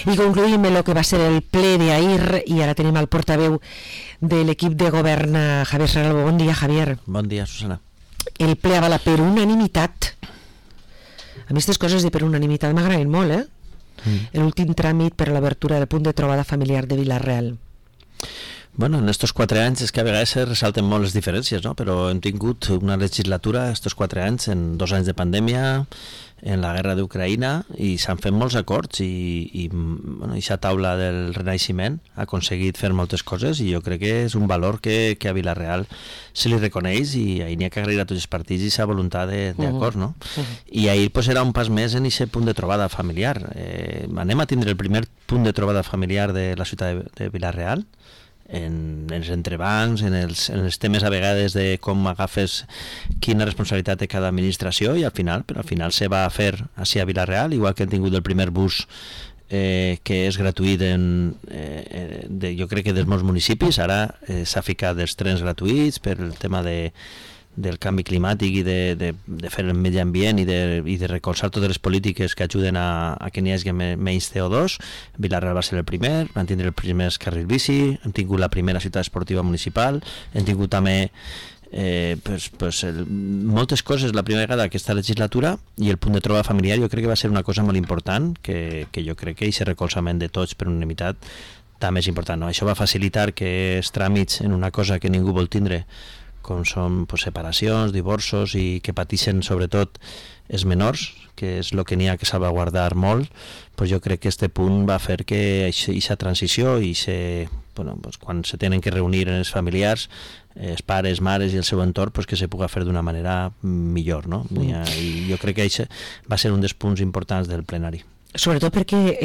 I concluïm el que va ser el ple d'ahir i ara tenim el portaveu de l'equip de govern, Javier Saralbo. Bon dia, Javier. Bon dia, Susana. El ple avala per unanimitat. A mi aquestes coses de per unanimitat m'agraden molt, l'últim tràmit per a l'obertura del punt de trobada familiar de Vila-real. Bueno, en estos 4 anys és que a vegades se ressalten molt les diferències, no? Però hem tingut una legislatura, estos 4 anys, en 2 anys de pandèmia, en la guerra d'Ucraïna, i s'han fet molts acords i aquesta taula del Renaixement ha aconseguit fer moltes coses i jo crec que és un valor que a Vila-real se li reconeix i ahir n'hi ha que agrair a tots els partits i aquesta voluntat d'acord, no? I ahir pues, era un pas més en aquest punt de trobada familiar. Anem a tindre el primer punt de trobada familiar de la ciutat de Vila-real, en els entrebancs, en els temes a vegades de com agafes quina responsabilitat té cada administració i al final se va fer així a Vila-real, igual que hem tingut el primer bus que és gratuït jo crec que dels molts municipis, ara s'ha ficat els trens gratuïts per el tema del canvi climàtic i de fer el medi ambient i de recolzar totes les polítiques que ajuden a que n'hi hagi menys CO2. Vila-real va ser el primer, van tindre els primers carrils bici, hem tingut la primera ciutat esportiva municipal, hem tingut també moltes coses la primera vegada d'aquesta legislatura i el punt de trobada familiar jo crec que va ser una cosa molt important que jo crec que aquest recolzament de tots per unanimitat també és important, no? Això va facilitar que els tràmits en una cosa que ningú vol tindre com són separacions, divorços i que pateixen sobretot els menors, que és el que n'hi ha que salvaguardar molt, jo crec que aquest punt va fer que aquesta transició i quan se tenen que reunir els familiars, els pares, mares i el seu entorn, que se pugui fer d'una manera millor, no? I jo crec que això va ser un dels punts importants del plenari. Sobretot perquè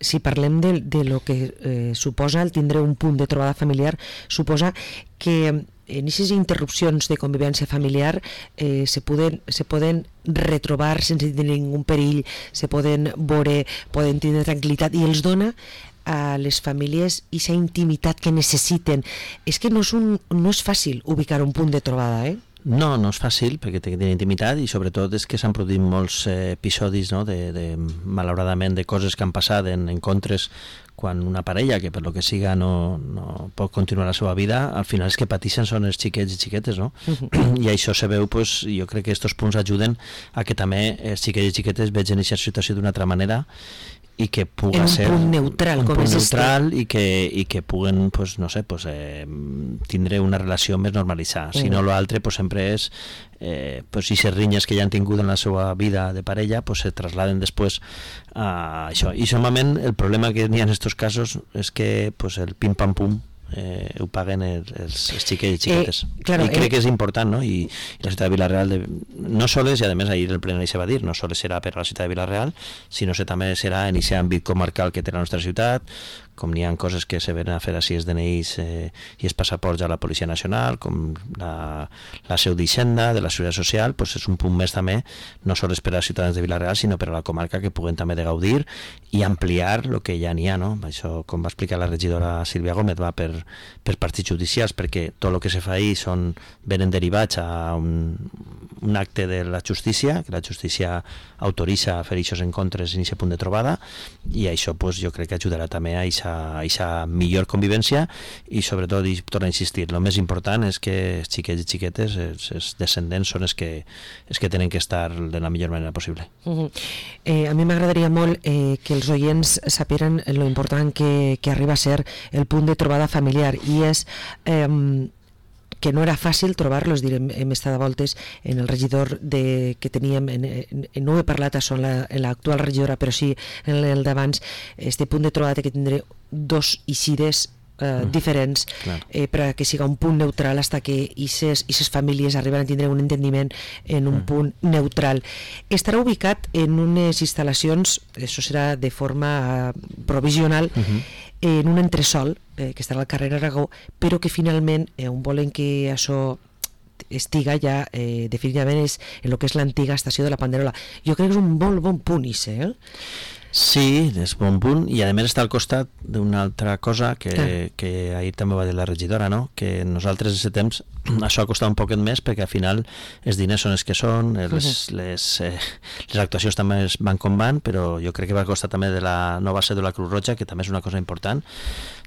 si parlem de lo que suposa el tindre un punt de trobada familiar, suposa que en aquestes interrupcions de convivència familiar se poden retrobar sense tenir ningú perill, se poden veure, poden tindre tranquil·litat i els dona a les famílies aquesta intimitat que necessiten. És que no és fàcil ubicar un punt de trobada, No és fàcil perquè té intimitat i sobretot és que s'han produït molts episodis, no? Malauradament de coses que han passat en encontres quan una parella que per lo que siga no pot continuar la seva vida, al final els que pateixen són els xiquets i xiquetes, no? I això se veu, jo crec que aquests punts ajuden a que també els xiquets i xiquetes vegin aquesta situació d'una altra manera i que pugui ser un punt neutral i que puguen tindre una relació més normalitzada. Si no, l'altre sempre és si les rinyes que ja han tingut en la seva vida de parella se trasladen després a això. I normalment el problema que n'hi ha en aquests casos és que el pim-pam-pum ho paguen els xiquets i xiquetes. I crec que és important, no? I la ciutat de Vila-real no sols, i a més ahir el plenari se va dir, no sols serà per la ciutat de Vila-real, sinó que també serà en aquest àmbit comarcal que té la nostra ciutat, com n'hi ha coses que se venen a fer així els DNIs i els passaports a la Policia Nacional, com la seu d'Hisenda, de la Seguretat Social, és un punt més també, no sols per als ciutadans de Vila-real, sinó per a la comarca que puguen també de gaudir i ampliar el que ja n'hi ha, no? Això, com va explicar la regidora Sílvia Gómez, va per partits judicials, perquè tot el que se fa ahir venen derivats a un acte de la justícia, que la justícia autoritza fer aquests encontres en aquest punt de trobada, i això jo crec que ajudarà també a aquesta millor convivència i sobretot, i torno a insistir, el més important és que els xiquets i xiquetes, els descendents són els que tenen que estar de la millor manera possible. A mi m'agradaria molt que els oients saperen lo important que arriba a ser el punt de trobada familiar i és que no era fàcil trobar-los, hem estat a voltes en el regidor que teníem, no he parlat això en l'actual regidora, però sí en el d'abans, este punt de trobada que tindré 2 eixides diferents per a que siga un punt neutral fins que aquestes famílies arriben a tindre un entendiment en un punt neutral. Estarà ubicat en unes instal·lacions, això serà de forma provisional, en un entresòl que estarà al carrer Aragó, però que finalment on volen que això estiga ja definitivament és en el que és l'antiga estació de la Panderola. Jo crec que és un molt bon punt, Sí, és bon punt, i a més està al costat d'una altra cosa que ahir també va dir la regidora, no? Que nosaltres en aquest temps això ha costat un poquet més perquè al final els diners són els que són, les actuacions també van com van, però jo crec que va costar també de la nova seu de la Creu Roja, que també és una cosa important.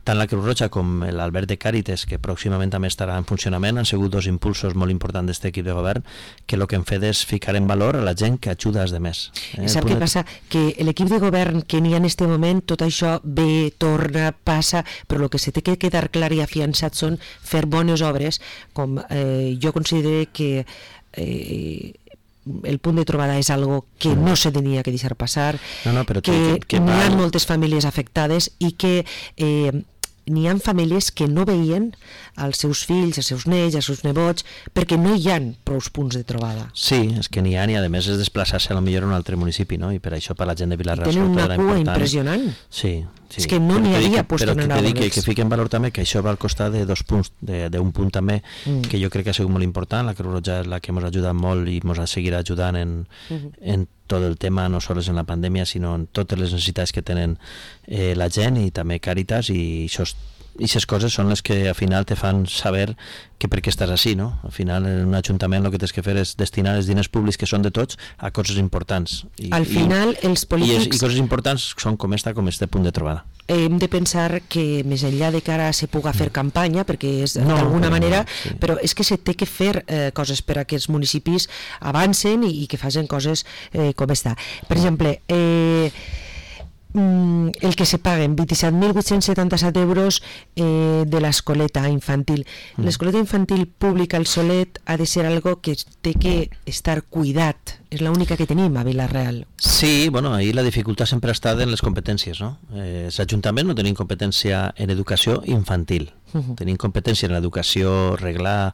Tant la Creu Roja com l'Alberg de Càritas, que pròximament també estarà en funcionament, han sigut dos impulsos molt importants d'aquest equip de govern, que el que hem fet és ficar en valor a la gent que ajuda als demés. Sap què passa? Que l'equip de govern que n'hi ha en aquest moment, tot això ve, torna, passa, però el que se té que quedar clar i afiançat són fer bones obres, com jo considero que el punt de trobada és algo que no se tenia que deixar passar, que n'hi ha moltes famílies afectades i que n'hi ha famílies que no veien als seus fills, als seus nets, als seus nebots, perquè no hi ha prou punts de trobada. Sí, és que n'hi ha, i a més és desplaçar-se a millor a un altre municipi, no? I per això per la gent de Vila-real tenen una cua impressionant. Sí. És que no n'hi havia puesto en anar que fiqui en valor també que això va al costat de 2 punts, d'un punt també que jo crec que ha sigut molt important. La Creu Roja és la que ens ha ajudat molt i ens seguirà ajudant en tot el tema, no sols en la pandèmia, sinó en totes les necessitats que tenen la gent, i també Càritas, i aquestes coses són les que al final te fan saber que per què estàs així, no? Al final en un ajuntament el que tens que fer és destinar els diners públics que són de tots a coses importants. Al final els polítics... I coses importants són com este punt de trobada. Hem de pensar que més enllà de que ara se puga fer campanya, perquè és d'alguna manera, però és que se té que fer coses per a que els municipis avancen i que facin coses com està. Per exemple, el que se paguen 27.877 euros de l'escoleta infantil. L'escoleta infantil pública al Solet ha de ser algo que té que estar cuidat, és l'única que tenim a Vila-real. Sí, bueno, ahí la dificultat sempre ha estat en les competències, no? L'Ajuntament no tenim competència en educació infantil, tenim competència en l'educació reglar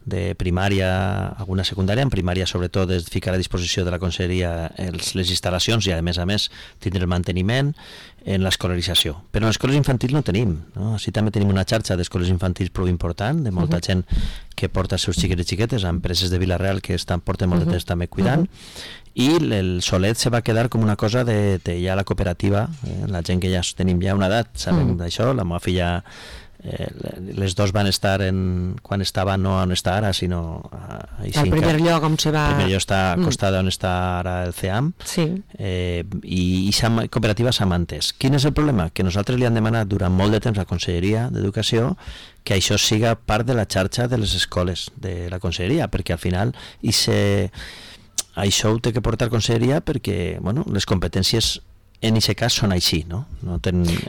de primària, alguna secundària. En primària sobretot és ficar a disposició de la conselleria les instal·lacions i a més tindre el manteniment en l'escolarització, però en l'escoles infantils no tenim, no? Així també tenim una xarxa d'escoles infantils prou important, de molta gent que porta els seus xiquets i xiquetes, empreses de Vila-real que porten molt de temps també cuidant, i el Solet se va quedar com una cosa de ja la cooperativa, la gent que ja tenim ja una edat, sabem d'això, la meva filla les dos van estar quan estava no on està ara, sinó al primer lloc on se va... El primer lloc està acostada on està ara el CEAM, i la cooperativa s'ha mantès. Quin és el problema? Que nosaltres li hem demanat durant molt de temps a la Conselleria d'Educació que això siga part de la xarxa de les escoles de la Conselleria, perquè al final això ho té que portar Conselleria perquè les competències en aquest cas són així, no?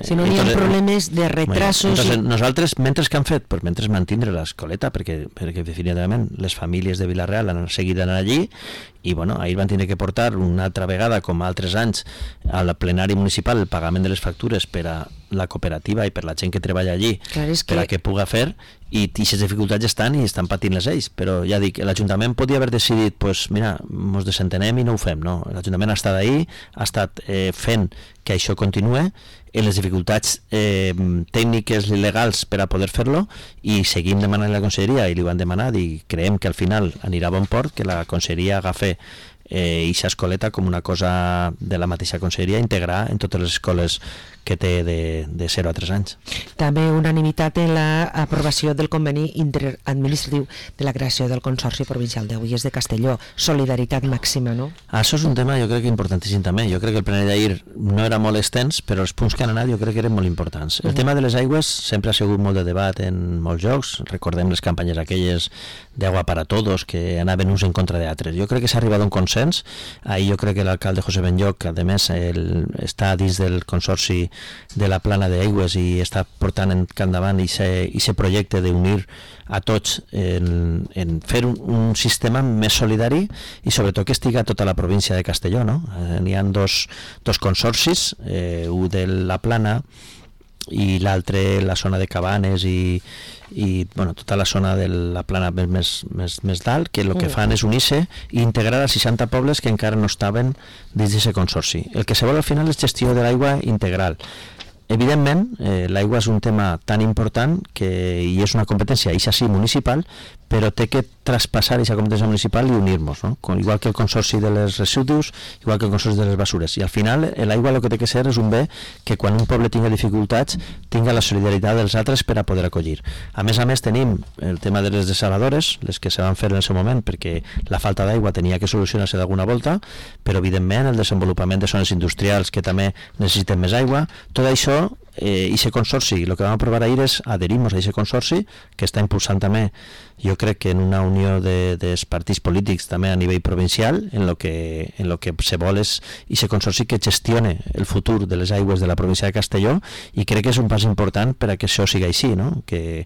Si no hi ha problemes de retrasos... Nosaltres, mentre que han fet? Pues mentre mantindre l'escoleta, perquè definitivament les famílies de Vila-real han seguit anar allí, i ahir van tenir que portar una altra vegada, com altres anys, al plenari municipal el pagament de les factures per a la cooperativa i per la gent que treballa allí, per a que puga fer, i aquestes dificultats estan i estan patint les ells, però ja dic, l'Ajuntament podia haver decidit, mira, ens desentenem i no ho fem, no? L'Ajuntament ha estat ahí, ha estat fent que això continue, en les dificultats tècniques i legals per a poder fer-lo, i seguim demanant a la Conselleria, i li ho han demanat, i creiem que al final anirà a bon port, que la Conselleria agafi eixa escoleta com una cosa de la mateixa Conselleria, integrar en totes les escoles que té de 0 a 3 anys. També unanimitat en l'aprovació del conveni interadministratiu de la creació del Consorci Provincial d'Aigües de Castelló. Solidaritat màxima, no? Això és un tema jo crec que importantíssim també. Jo crec que el plenari d'ahir no era molt extens, però els punts que han anat jo crec que eren molt importants. El tema de les aigües sempre ha sigut molt de debat en molts llocs. Recordem les campanyes aquelles d'Agua para Todos que anaven uns en contra d'altres. Jo crec que s'ha arribat a un consens. Ahir jo crec que l'alcalde José Benlloc, a més, està dins del Consorci de la Plana d'Aigües i està portant endavant aquest projecte d'unir a tots en fer un sistema més solidari i sobretot que estiga a tota la província de Castelló, no? N'hi ha dos consorcis, un de la Plana i l'altre la zona de Cabanes i tota la zona de la Plana més dalt, que el que fan és unir-se i integrar a 60 pobles que encara no estaven dins d'aquest consorci. El que se vol al final és gestió de l'aigua integral. Evidentment, l'aigua és un tema tan important i és una competència, això sí, municipal, però té que traspassar aquesta competència municipal i unir-nos, no? Igual que el consorci de les residus, igual que el consorci de les basures. I al final l'aigua el que té que ser és un bé que quan un poble tinga dificultats tinga la solidaritat dels altres per a poder acollir. A més tenim el tema de les desaladores, les que se van fer en el seu moment perquè la falta d'aigua tenia que solucionar-se d'alguna volta, però evidentment el desenvolupament de zones industrials que també necessiten més aigua, tot això i aquest consorci, el que vam aprovar ahir és adherir-nos a aquest consorci que està impulsant també, jo crec que en una unió dels partits polítics també a nivell provincial, en lo que se vol és aquest consorci que gestione el futur de les aigües de la província de Castelló, i crec que és un pas important per a que això sigui així, no? Que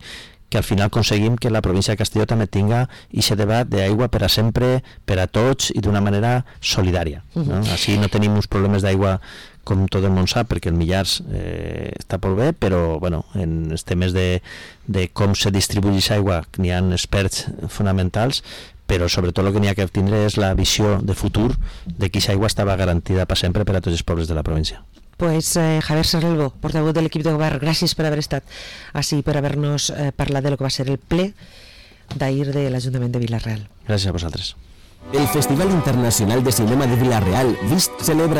al final aconseguim que la província de Castelló també tinga aquest debat d'aigua per a sempre, per a tots i d'una manera solidària, no? Així no tenim uns problemes d'aigua com tot el món sap, perquè el Millars està molt bé, però bueno, en els temes de com se distribueix aigua n'hi ha experts fonamentals, però sobretot el que n'hi ha que tindre és la visió de futur de que aquesta aigua estava garantida per sempre per a tots els pobles de la província. Pues Javier Serralbo, portavoz del equip de govern, gràcies per haver estat així, per haver-nos parlat de lo que va ser el ple d'ahir de l'Ajuntament de Vila-real. Gràcies a vosaltres. El Festival Internacional de Cinema de Vila-real, VIST, celebra